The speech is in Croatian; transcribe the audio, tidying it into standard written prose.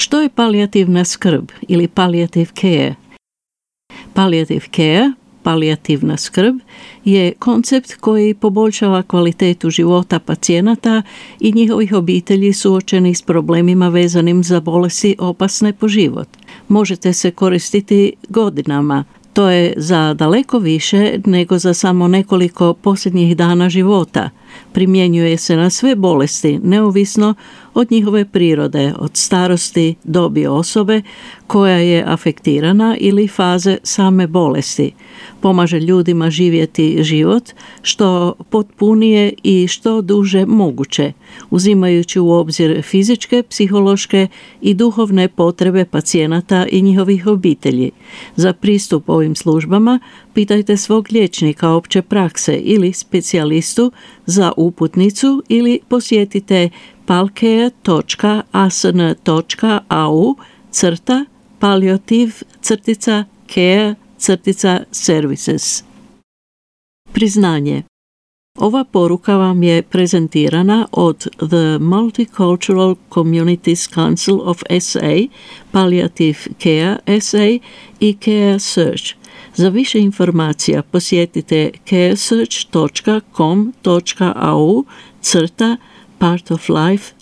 Što je palijativna skrb ili palliative care? Palliative care, palijativna skrb, je koncept koji poboljšava kvalitetu života pacijenata i njihovih obitelji suočenih s problemima vezanim za bolesti opasne po život. Možete se koristiti godinama. To je za daleko više nego za samo nekoliko posljednjih dana života. Primjenjuje se na sve bolesti, neovisno od njihove prirode, od starosti, dobi osobe koja je afektirana ili faze same bolesti. Pomaže ljudima živjeti život što potpunije i što duže moguće, uzimajući u obzir fizičke, psihološke i duhovne potrebe pacijenata i njihovih obitelji. Za pristup ovim službama pitajte svog liječnika opće prakse ili specijalistu za uputnicu ili posjetite palcare.as.au/palliative-care-services. Priznanje. Ova poruka vam je prezentirana od The Multicultural Communities Council of SA, Palliative Care SA i Care Search. Za više informacija posjetite caresearch.com.au/part of life